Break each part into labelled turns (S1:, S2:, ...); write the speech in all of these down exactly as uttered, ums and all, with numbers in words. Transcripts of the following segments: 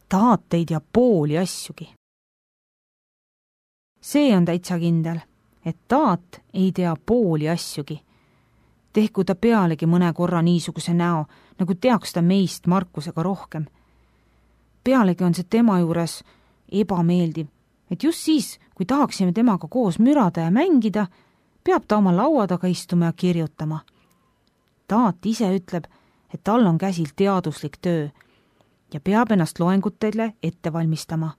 S1: Taat ei tea pooli asjugi. See on täitsa kindel, et Taat ei tea pooli asjugi. Tehku ta pealegi mõne korra niisuguse näo, nagu teaks ta meist Markusega rohkem. Pealegi on see tema juures ebameeldiv, et just siis, kui tahaksime temaga koos mürada ja mängida, peab ta oma laua taga istuma ja kirjutama. Taat ise ütleb, et tal on käsil teaduslik töö ja peab ennast loengutele ette valmistama.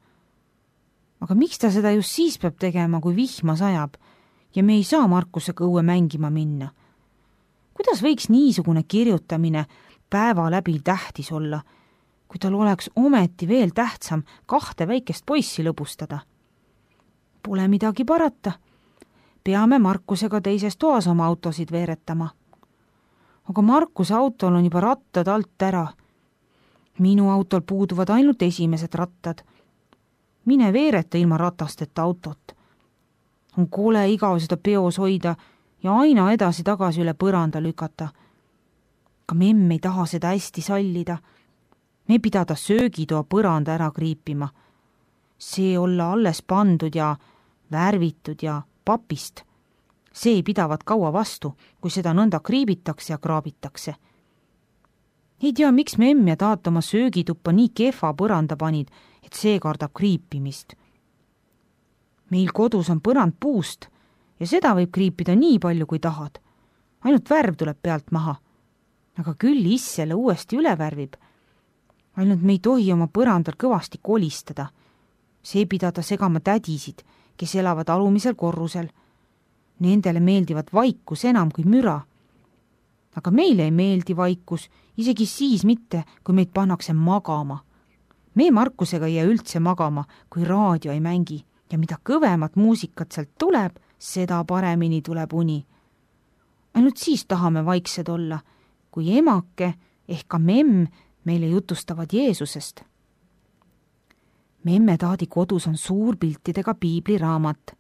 S1: Aga miks ta seda just siis peab tegema, kui vihma sajab ja me ei saa Markusega õue mängima minna? Kuidas võiks niisugune kirjutamine päeva läbi tähtis olla, kui tal oleks ometi veel tähtsam kahte väikest poissi lõbustada? Pole midagi parata. Peame Markusega teises toas oma autosid veeretama. Aga Markuse autol on juba rattad alt ära. Minu autol puuduvad ainult esimesed rattad. Mine veereta ilma ratasteta autot. On kole igav seda peos hoida ja aina edasi-tagasi üle põranda lükata. Ka memm ei taha seda hästi sallida. Me pidada söögitoa põranda ära kriipima. See olla alles pandud ja värvitud ja papist. See ei pidavat kaua vastu, kui seda nõnda kriibitakse ja kraabitakse. Ei tea, miks memm ja Taat oma söögituppa nii kehva põranda panid, et see kardab kriipimist. Meil kodus on põrand puust ja seda võib kriipida nii palju, kui tahad. Ainult värv tuleb pealt maha. Aga küll is selle uuesti üle värvib. Ainult me ei tohi oma põrandal kõvasti kolistada. See pidada segama tädisid, kes elavad alumisel korrusel. Nendele meeldivad vaikus enam kui müra. Aga meile ei meeldi vaikus, isegi siis mitte, kui meid pannakse magama. Me Markusega ei jää üldse magama, kui raadio ei mängi ja mida kõvemat muusikat sealt tuleb, seda paremini tuleb uni. Ainult siis tahame vaiksed olla, kui emake ehk ka memm meile jutustavad Jeesusest. Memme Taadi kodus on suur piltidega piibliraamat.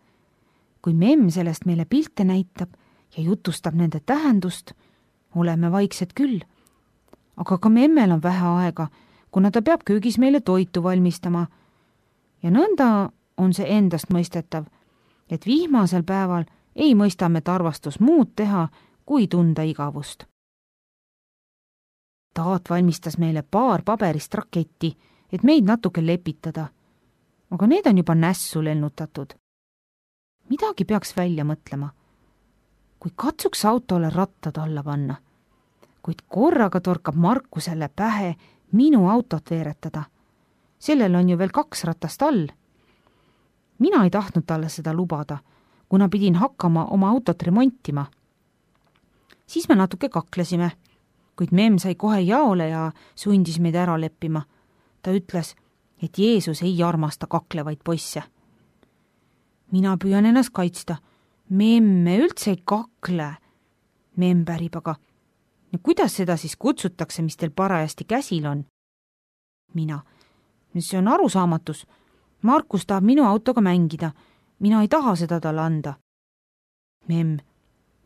S1: Kui memm sellest meile pilte näitab ja jutustab nende tähendust, oleme vaiksed küll. Aga ka memmel on vähe aega, kuna ta peab köögis meile toitu valmistama. Ja nõnda on see endast mõistetav, et vihmasel päeval ei mõista me tarvastus muud teha, kui tunda igavust. Taat valmistas meile paar paberist raketti, et meid natuke lepitada, aga need on juba nässu lennutatud. Midagi peaks välja mõtlema. Kui katsuks autole rattad alla panna, kuid korraga torkab Markusele pähe minu autot veeretada. Sellel on ju veel kaks ratast all. Mina ei tahtnud talle seda lubada, kuna pidin hakkama oma autot remontima. Siis me natuke kaklesime, kuid memm sai kohe jaole ja sundis meid ära leppima. Ta ütles, et Jeesus ei armasta kaklevaid poisse. Mina püüan ennast kaitsta. Memme üldse ei kakle. Memm pärib aga. Ja kuidas seda siis kutsutakse, mis teil parajasti käsil on? Mina. See on arusaamatus. Markus tahab minu autoga mängida. Mina ei taha seda talle anda. Memm.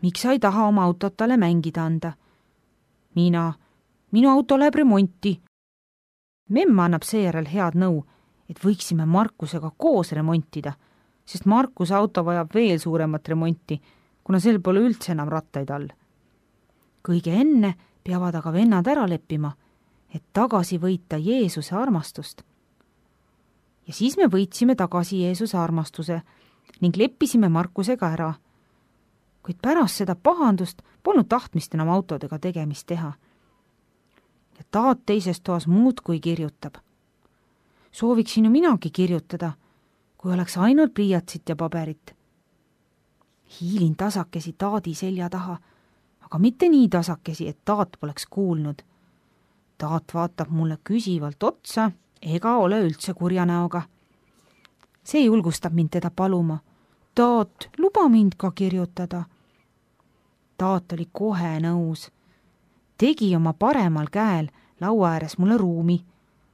S1: Miks sa ei taha oma autot talle mängida anda? Mina. Minu auto läheb remonti. Memm annab seejärel head nõu, et võiksime Markusega koos remontida, sest Markuse auto vajab veel suuremat remonti, kuna sel pole üldse enam rattaid all. Kõige enne peavad aga vennad ära leppima, et tagasi võita Jeesuse armastust. Ja siis me võitsime tagasi Jeesuse armastuse ning leppisime Markusega ära. Kuid pärast seda pahandust polnud tahtmist enam autodega tegemist teha. Ja Taat teises toas muud kui kirjutab. Sooviksin ju minagi kirjutada, kui oleks ainult pliiatsit ja paberit. Hiilin tasakesi Taadi selja taha, aga mitte nii tasakesi, et Taat poleks kuulnud. Taat vaatab mulle küsivalt otsa ega ole üldse kurja näoga. See julgustab mind teda paluma. Taat, luba mind ka kirjutada. Taat oli kohe nõus. Tegi oma paremal käel laua ääres mulle ruumi,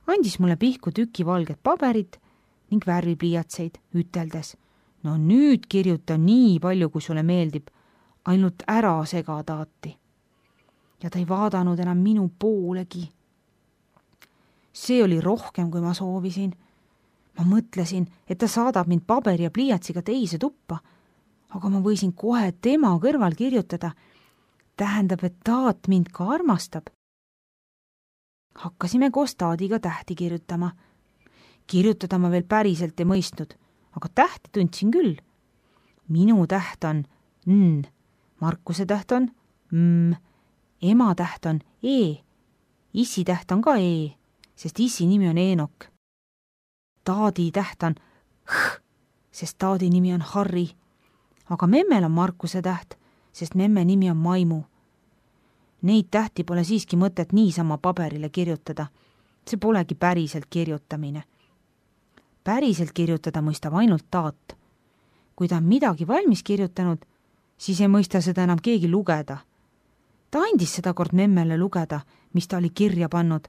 S1: andis mulle pihku tüki valget paberit ning värvipliiatseid, üteldes. No nüüd kirjuta nii palju, kui sulle meeldib, ainult ära sega Taati. Ja ta ei vaadanud enam minu poolegi. see oli rohkem, kui ma soovisin. Ma mõtlesin, et ta saadab mind paberi ja pliiatsiga teise tuppa, aga ma võisin kohe tema kõrval kirjutada. Tähendab, et Taat mind ka armastab. Hakkasime koos Taadiga tähti kirjutama. Kirjutada ma veel päriselt ei mõistnud, aga tähti tundsin küll. Minu täht on N, Markuse täht on M, ema täht on E, issi täht on ka E, sest issi nimi on Eenok. Taadi täht on H, sest Taadi nimi on Harri, aga memmel on Markuse täht, sest memme nimi on Maimu. Neid tähti pole siiski mõtet niisama paberile kirjutada. See polegi päriselt kirjutamine. Päriselt kirjutada mõistab ainult Taat. Kui ta on midagi valmis kirjutanud, siis ei mõista seda enam keegi lugeda. Ta andis seda kord memmele lugeda, mis ta oli kirja pannud.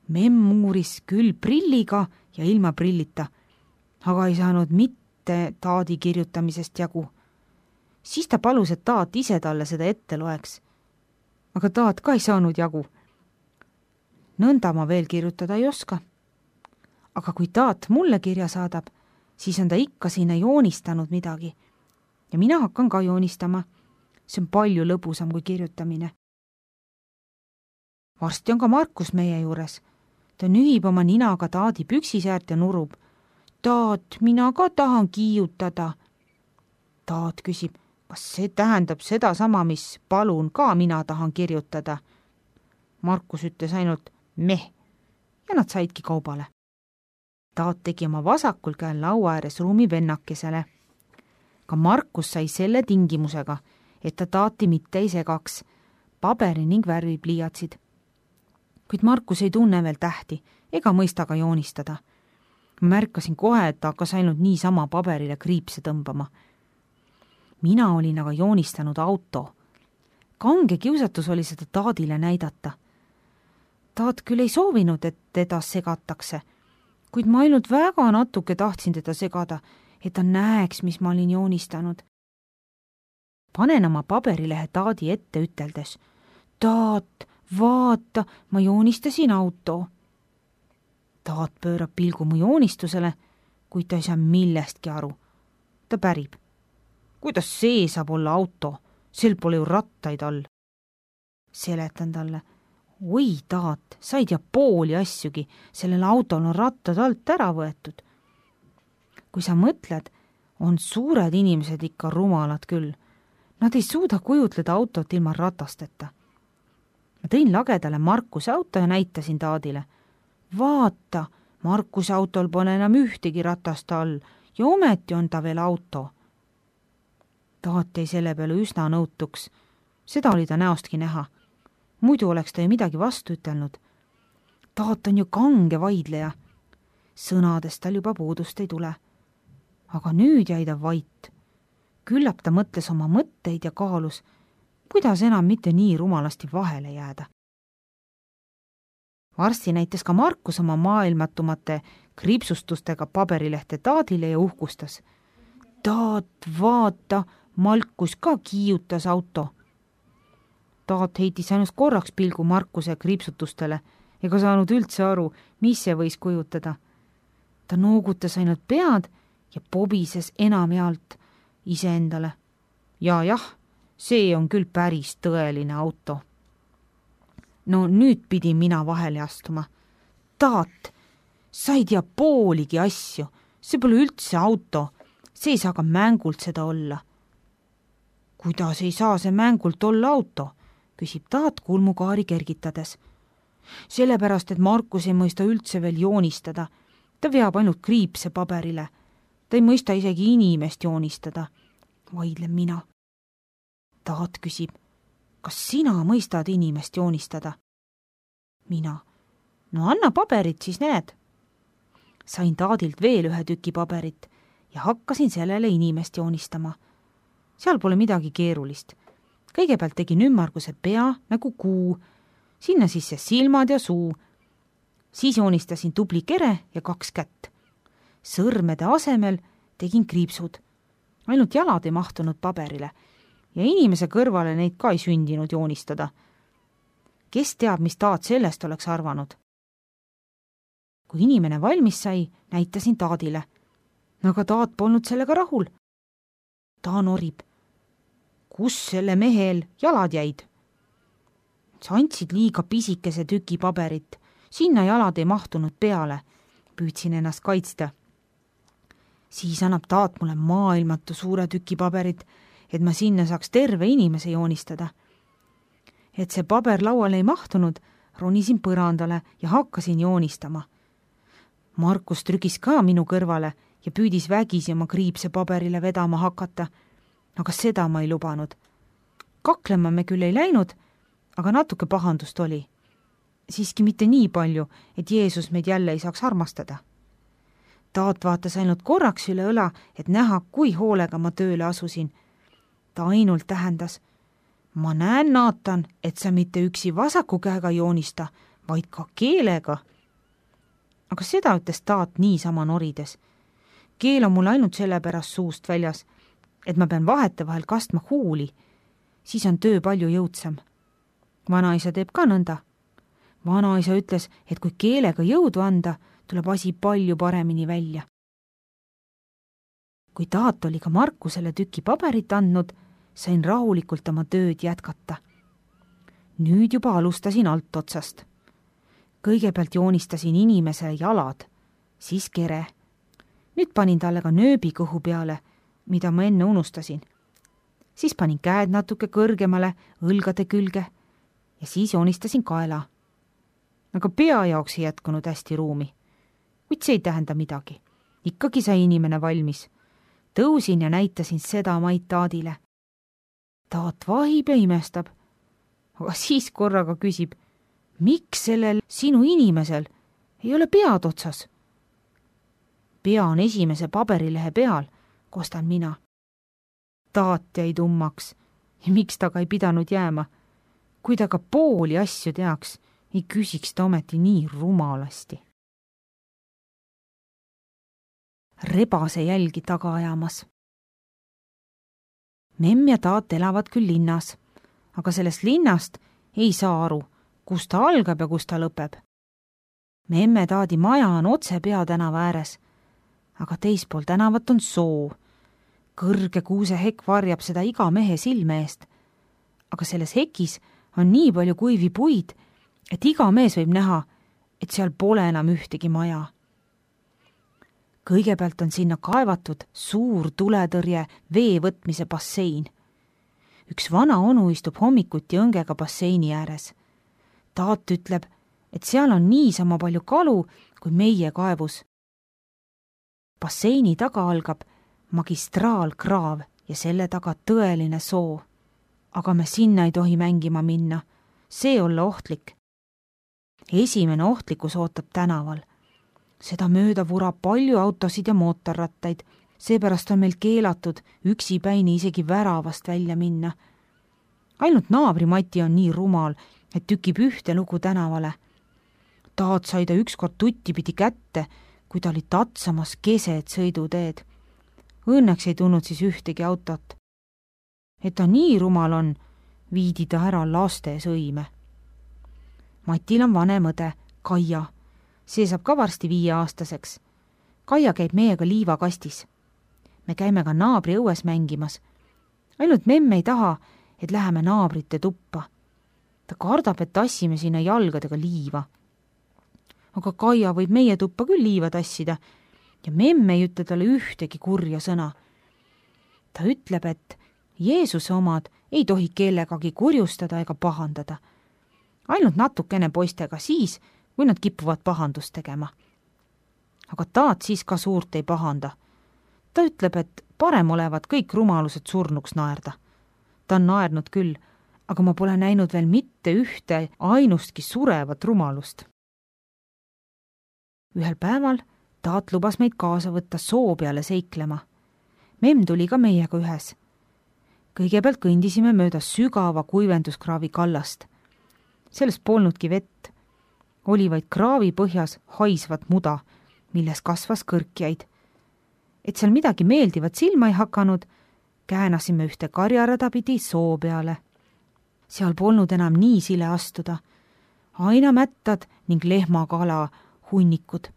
S1: Memm uuris küll prilliga ja ilma prillita, aga ei saanud mitte Taadi kirjutamisest jagu. Siis ta palus, et Taat ise talle seda ette loeks. Aga Taat ka ei saanud jagu. Nõnda ma veel kirjutada ei oska. Aga kui Taat mulle kirja saadab, siis on ta ikka sinna joonistanud midagi. Ja mina hakkan ka joonistama. See on palju lõbusam kui kirjutamine. Varsti on ka Markus meie juures. Ta nühib oma ninaga Taadi püksisäärt ja nurub. Taat, mina ka tahan kiiutada. Taat küsib, kas see tähendab seda sama, mis palun ka mina tahan kirjutada? Markus ütles ainult meh ja nad saidki kaubale. Taat tegi oma vasakul käel laua ääres ruumi vennakesele. Ka Markus sai selle tingimusega, et ta Taati mitte ei segaks, paberi ning värvipliiatsid. Kuid Markus ei tunne veel tähti ega mõista ka joonistada. Ma märkasin kohe, et ta hakkas ainult niisama paberile kriipse tõmbama. Mina olin aga joonistanud auto. Kange kiusatus oli seda Taadile näidata. Taat küll ei soovinud, et teda segatakse, kuid ma ainult väga natuke tahtsin teda segada, et ta näeks, mis ma olin joonistanud. Panen oma paberilehe Taadi ette üteldes. Taat, vaata, ma joonistasin auto. Taat pöörab pilgu mu joonistusele, kuid ta ei saa millestki aru. Ta pärib. Kuidas see saab olla auto? Sel pole ju rattaid all. Seletan talle. Oi, Taat, sa ei tea pooli asjugi, sellel autol on rattad alt ära võetud. Kui sa mõtled, on suured inimesed ikka rumalad küll. Nad ei suuda kujutleda autot ilma ratasteta. Ma tõin lagedale Markuse auto ja näitasin Taadile. Vaata, Markuse autol pole enam ühtegi ratast all ja ometi on ta veel auto. Taat jäi selle peale üsna nõutuks. Seda oli ta näostki näha. Muidu oleks ta ju midagi vastu ütelnud. Taat on ju kange vaidleja. Sõnadest tal juba puudust ei tule. Aga nüüd jäi ta vait. Küllap ta mõtles oma mõtteid ja kaalus, kuidas enam mitte nii rumalasti vahele jääda. Varsti näitas ka Markus oma maailmatumate kriipsustustega paberilehte Taadile ja uhkustas. Taat, vaata, Markus ka kiiutas auto. Taat heitis ainult korraks pilgu Markuse kriipsutustele ega saanud üldse aru, mis see võis kujutada. Ta noogutas ainult pead ja pobises enamjaolt iseendale. Ja jah, see on küll päris tõeline auto. No nüüd pidin mina vahele astuma. Taat, sa ei tea pooligi asju. See pole üldse auto. See ei saa ka mängult seda olla. Kuidas ei saa see mängult olla auto? Küsib Taat kulmukaari kergitades. Sellepärast, et Markus ei mõista üldse veel joonistada. Ta veab ainult kriipse paberile. Ta ei mõista isegi inimest joonistada. Vaidlen mina. Taat küsib, kas sina mõistad inimest joonistada? Mina. No anna paberit, siis näed. Sain Taadilt veel ühe tüki paberit ja hakkasin sellele inimest joonistama. Seal pole midagi keerulist. Kõigepealt tegin ümmarguse pea nagu kuu, sinna sisse silmad ja suu. Siis joonistasin tubli kere ja kaks kätt. Sõrmede asemel tegin kriipsud. Ainult jalad ei mahtunud paberile ja inimese kõrvale neid ka ei sündinud joonistada. Kes teab, mis Taat sellest oleks arvanud? kui inimene valmis sai, näitasin Taadile. Aga Taat polnud sellega rahul. Ta norib. Kus selle mehel jalad jäid? Sa andsid liiga pisikese tüki paberit. Sinna jalad ei mahtunud peale. Püüdsin ennast kaitsta. Siis annab Taat mulle maailmatu suure tüki paberit, et ma sinna saaks terve inimese joonistada. Et see paber lauale ei mahtunud, ronisin põrandale ja hakkasin joonistama. Markus trükis ka minu kõrvale ja püüdis vägisi oma kriipse paberile vedama hakata, aga seda ma ei lubanud. Kaklema me küll ei läinud, aga natuke pahandust oli. Siiski mitte nii palju, et Jeesus meid jälle ei saaks armastada. Taat vaatas ainult korraks üle õla, et näha, kui hoolega ma tööle asusin. Ta ainult tähendas, ma näen, Naatan, et sa mitte üksi vasaku käega joonista, vaid ka keelega. Aga seda ütles Taat niisama norides. Keel on mul ainult sellepärast suust väljas, et ma pean vahetevahel kastma huuli, siis on töö palju jõudsam. Vanaisa teeb ka nõnda. Vanaisa ütles, et kui keelega jõudu anda, tuleb asi palju paremini välja. Kui Taat oli ka Markusele tüki paberit andnud, sain rahulikult oma tööd jätkata. Nüüd juba alustasin alt otsast. Kõigepealt joonistasin inimese jalad, siis kere. Nüüd panin talle ka nööbi kõhu peale, mida ma enne unustasin. Siis panin käed natuke kõrgemale, õlgade külge ja siis joonistasin kaela. Aga pea jaoks ei jätkunud hästi ruumi. Kuid see ei tähenda midagi. Ikkagi sai inimene valmis. Tõusin ja näitasin seda maid Taadile. Taat vahib ja imestab. Aga siis korraga küsib, miks sellel sinu inimesel ei ole pead otsas? Pea on esimese paberilehe peal, kostan mina. Taat jäi tummaks ja miks ta ka ei pidanud jääma. Kui ta ka pooli asju teaks, ei küsiks ta ometi nii rumalasti. Rebase jälgi taga ajamas. Memm ja Taat elavad küll linnas, aga sellest linnast ei saa aru, kus ta algab ja kus ta lõpeb. Memme Taadi maja on otse peatänava ääres, aga teispool tänavat on soo. Kõrge kuusehekk varjab seda iga mehe silme eest, aga selles hekis on nii palju kuivi puid, et iga mees võib näha, et seal pole enam ühtegi maja. Kõigepealt on sinna kaevatud suur tuletõrje vee võtmise bassein. Üks vana onu istub hommikuti õngega basseini ääres. Taat ütleb, et seal on niisama palju kalu kui meie kaevus. Basseini taga algab magistraalkraav ja selle taga tõeline soo. Aga me sinna ei tohi mängima minna. See olla ohtlik. Esimene ohtlikkus ootab tänaval. Seda mööda vurab palju autosid ja mootorrattaid, seepärast on meil keelatud üksipäini isegi väravast välja minna. Ainult naabri Mati on nii rumal, et tükib ühte lugu tänavale. Taat sai ta ükskord tuttipidi kätte, kui ta oli tatsamas keset sõiduteed. Õnneks ei tulnud siis ühtegi autot. Et ta nii rumal on, viidi ta ära laste sõime. Matil on vanem õde, Kaia. See saab ka varsti viieaastaseks. Kaia käib meiega liivakastis. Me käime ka naabri õues mängimas. Ainult memm ei taha, et läheme naabrite tuppa. Ta kardab, et tassime sinna jalgadega liiva. Aga Kaia võib meie tuppa küll liiva tassida ja memm ei ütle talle ühtegi kurja sõna. Ta ütleb, et Jeesuse omad ei tohi kellegagi kurjustada ega pahandada. Ainult natukene poistega siis, kui nad kipuvad pahandust tegema. Aga Taat siis ka suurt ei pahanda. Ta ütleb, et parem olevat kõik rumalused surnuks naerda. Ta on naernud küll, aga ma pole näinud veel mitte ühte ainustki surevat rumalust. Ühel päeval Taat lubas meid kaasa võtta soo peale seiklema. Memm tuli ka meiega ühes. Kõigepealt kõndisime mööda sügava kuivenduskraavi kallast. Sellest polnudki vett. Oli vaid kraavi põhjas haisvat muda, milles kasvas kõrkjaid. Et seal midagi meeldivat silma ei hakanud, käänasime ühte karjarada pidi soo peale. Seal polnud enam nii sile astuda. Aina mättad ning lehmakala hunnikud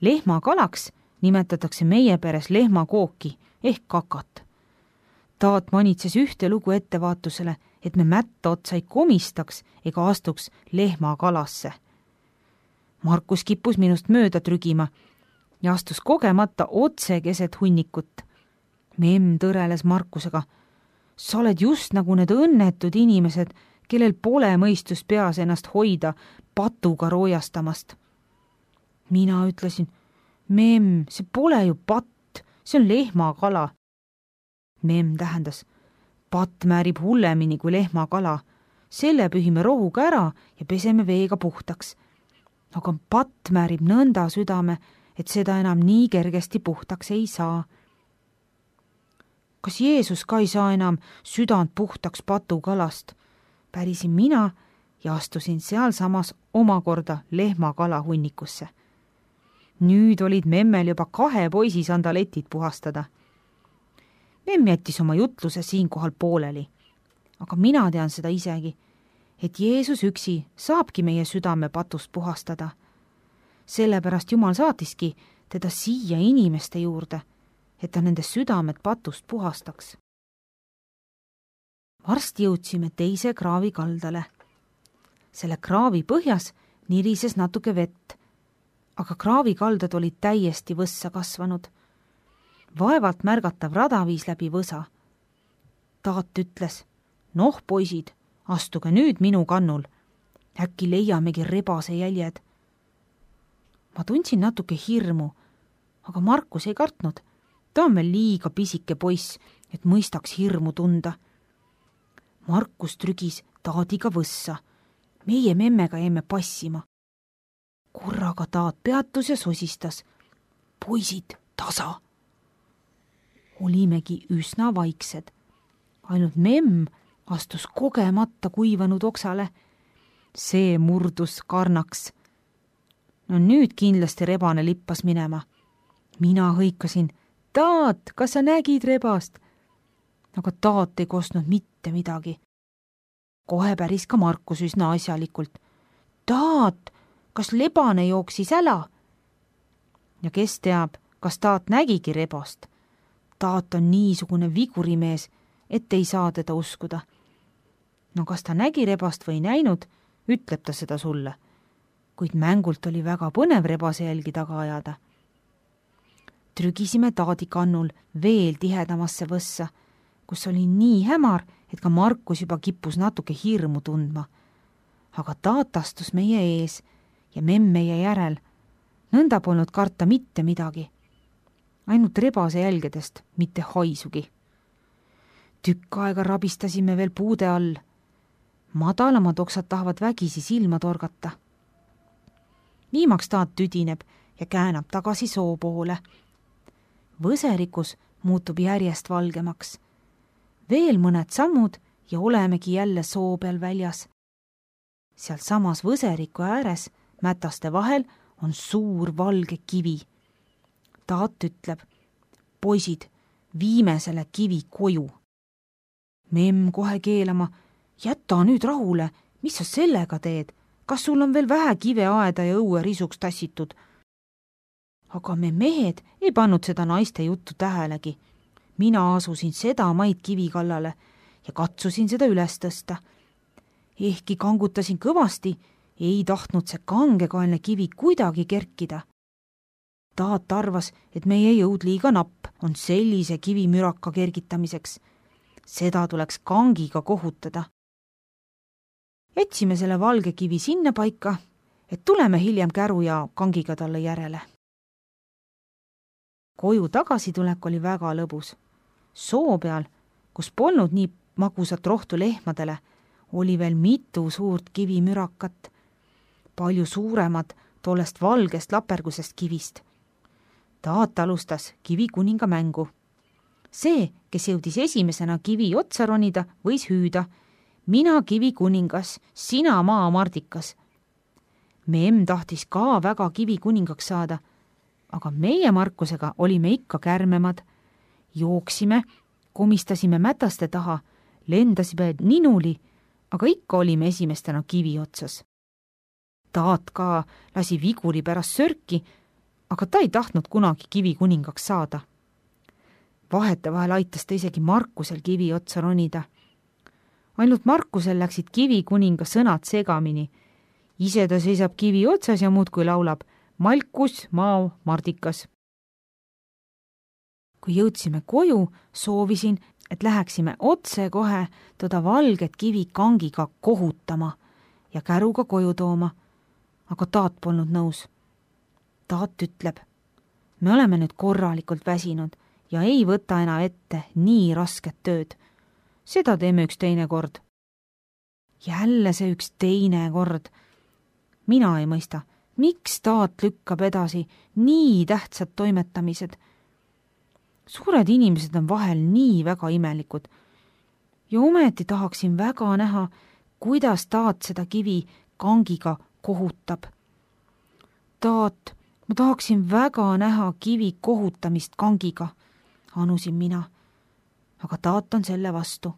S1: lehmakalaks nimetatakse meie peres lehmakooki ehk kakat. Taat manitses ühte lugu ettevaatusele, et me mätta otsa ei komistaks ega astuks lehmakalasse. Markus kippus minust mööda trügima ja astus kogemata otse keset hunnikut. Memm tõreles Markusega. Sa oled just nagu need õnnetud inimesed, kellel pole mõistus peas ennast hoida patuga roojastamast. Mina ütlesin, memm, see pole ju patt, see on lehmakala. Memm tähendas, patt määrib hullemini kui lehmakala. Selle pühime rohuga ära ja peseme veega puhtaks. Aga patt määrib nõnda südame, et seda enam nii kergesti puhtaks ei saa. Kas Jeesus ka ei saa enam südant puhtaks patukalast? Pärisin mina ja astusin sealsamas omakorda lehmakala hunnikusse. Nüüd olid memmel juba kahe poisi sandaletid puhastada. Memm jättis oma jutluse siinkohal pooleli, aga mina tean seda isegi, et Jeesus üksi saabki meie südame patust puhastada. Sellepärast Jumal saatiski teda siia inimeste juurde, et ta nende südamed patust puhastaks. Varsti jõudsime teise kraavi kaldale. Selle kraavi põhjas nirises natuke vett, aga kraavikaldad olid täiesti võssa kasvanud. Vaevalt märgatav rada viis läbi võsa. Taat ütles, noh poisid, astuge nüüd minu kannul. Äkki leiamegi rebase jäljed. Ma tundsin natuke hirmu, aga Markus ei kartnud. Ta on veel liiga pisike poiss, et mõistaks hirmu tunda. Markus trügis Taadiga võssa. Meie memmega jäime passima. Korraga Taat peatus ja sosistas. Poisid, tasa! Olimegi üsna vaiksed. Ainult memm astus kogemata kuivanud oksale. See murdus karnaks. No nüüd kindlasti rebane lippas minema. Mina hõikasin, Taat, kas sa nägid rebast? Aga Taat ei kostnud mitte midagi. Kohe päris ka Markus üsna asjalikult. Taat, kas lebane jooksis äla? Ja kes teab, kas Taat nägigi rebast? Taat on niisugune vigurimees, et ei saa teda uskuda. No kas ta nägi rebast või näinud, ütleb ta seda sulle. Kuid mängult oli väga põnev rebase jälgi taga ajada. Trügisime Taadi kannul veel tihedamasse võssa, kus oli nii hämar, et ka Markus juba kippus natuke hirmu tundma. Aga Taat astus meie ees ja memm meie järel. Nõnda polnud karta mitte midagi. Ainult rebase jälgedest, mitte haisugi. Tükk aega rabistasime veel puude all. Madalamad oksad tahavad vägisi silma torgata. Viimaks Taat tüdineb ja käänab tagasi soo poole. Võserikus muutub järjest valgemaks. Veel mõned sammud ja olemegi jälle soo peal väljas. Sealt samas võseriku ääres, mätaste vahel, on suur valge kivi. Taat ütleb, poisid, viime selle kivi koju. Memm kohe keelama, jäta nüüd rahule, mis sa sellega teed? Kas sul on veel vähe kive aeda ja õue risuks tassitud? Aga me mehed ei pannud seda naiste juttu tähelegi. Mina asusin seda maid kivi kallale ja katsusin seda üles tõsta. Ehkki kangutasin kõvasti, ei tahtnud see kangekaelne kivi kuidagi kerkida. Taat arvas, et meie jõud liiga napp on sellise kivimüraka kergitamiseks. Seda tuleks kangiga kohutada. Jätsime selle valge kivi sinna paika, et tuleme hiljem käru ja kangiga talle järele. Koju tagasitulek oli väga lõbus. Soo peal, kus polnud nii magusat rohtu lehmadele, oli veel mitu suurt kivimürakat, palju suuremad tollest valgest lapergusest kivist. Taat alustas kivikuninga mängu. See, kes jõudis esimesena kivi otsa ronida, võis hüüda, mina kivikuningas, sina maamardikas. Memm tahtis ka väga kivikuningaks saada, aga meie Markusega olime ikka kärmemad. Jooksime, komistasime mätaste taha, lendasime ninuli, aga ikka olime esimestena kivi otsas. Taat ka lasi viguri pärast sörki, aga ta ei tahtnud kunagi kivikuningaks saada. Vahetevahel aitas ta isegi Markusel kivi otsa ronida. Ainult Markusel läksid kivikuninga sõnad segamini. Ise ta seisab kivi otsas ja muudkui laulab Malkus, Mao, Mardikas. Kui jõudsime koju, soovisin, et läheksime otse kohe toda valget kivi kangiga kohutama ja käruga koju tooma, aga taat polnud nõus. Taat ütleb, me oleme nüüd korralikult väsinud ja ei võta enam ette nii rasket tööd. Seda teeme üks teine kord. Jälle see üks teine kord. Mina ei mõista, miks taat lükkab edasi nii tähtsad toimetamised. Suured inimesed on vahel nii väga imelikud ja ometi tahaksin väga näha, kuidas taat seda kivi kangiga kohutab. Taat, ma tahaksin väga näha kivi kohutamist kangiga, anusin mina, aga taat on selle vastu.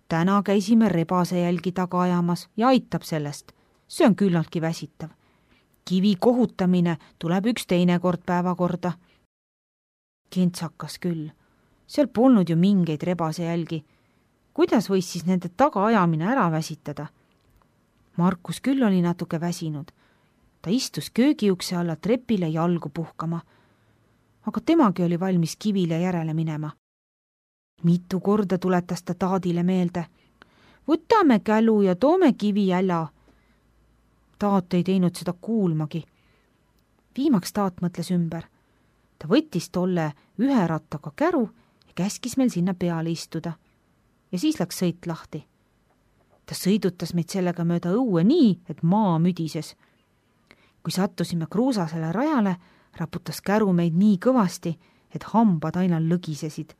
S1: Täna käisime rebase jälgi taga ajamas ja aitab sellest. See on küllaltki väsitav. Kivi kohutamine tuleb üks teine kord päevakorda. Kentsakas küll. Seal polnud ju mingeid rebase jälgi. Kuidas võis siis nende taga ajamine ära väsitada? Markus küll oli natuke väsinud. Ta istus köögiukse alla trepile jalgu puhkama. Aga temagi oli valmis kivile järele minema. Mitu korda tuletas ta taadile meelde. Võtame kälu ja toome kivi äla. Taat ei teinud seda kuulmagi. Viimaks taat mõtles ümber. Ta võttis tolle ühe rattaga käru ja käskis meil sinna peale istuda. Ja siis läks sõit lahti. Ta sõidutas meid sellega mööda õue nii, et maa müdises. Kui sattusime kruusasele rajale, raputas käru meid nii kõvasti, et hambad aina lõgisesid.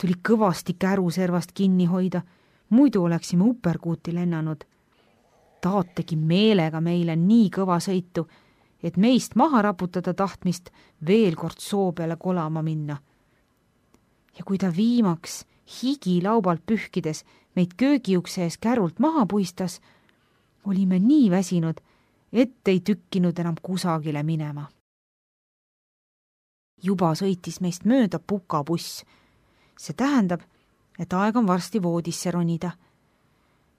S1: Tuli kõvasti käru servast kinni hoida, muidu oleksime uperkuuti lennanud. Taat tegi meelega meile nii kõva sõitu, et meist maha raputada tahtmist veel kord soo peale kolama minna. Ja kui ta viimaks higi laubalt pühkides meid köögiukse ees kärult maha puistas, olime nii väsinud, et ei tükkinud enam kusagile minema. Juba sõitis meist mööda pukabuss. See tähendab, et aeg on varsti voodisse ronida.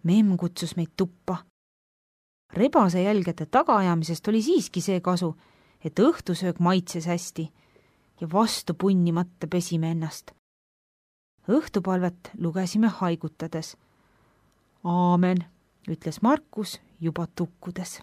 S1: Memm kutsus meid tuppa. Rebase jälgede tagaajamisest oli siiski see kasu, et õhtusöög maitses hästi ja vastu punnimata pesime ennast. Õhtupalvet lugesime haigutades. Aamen, ütles Markus juba tukkudes.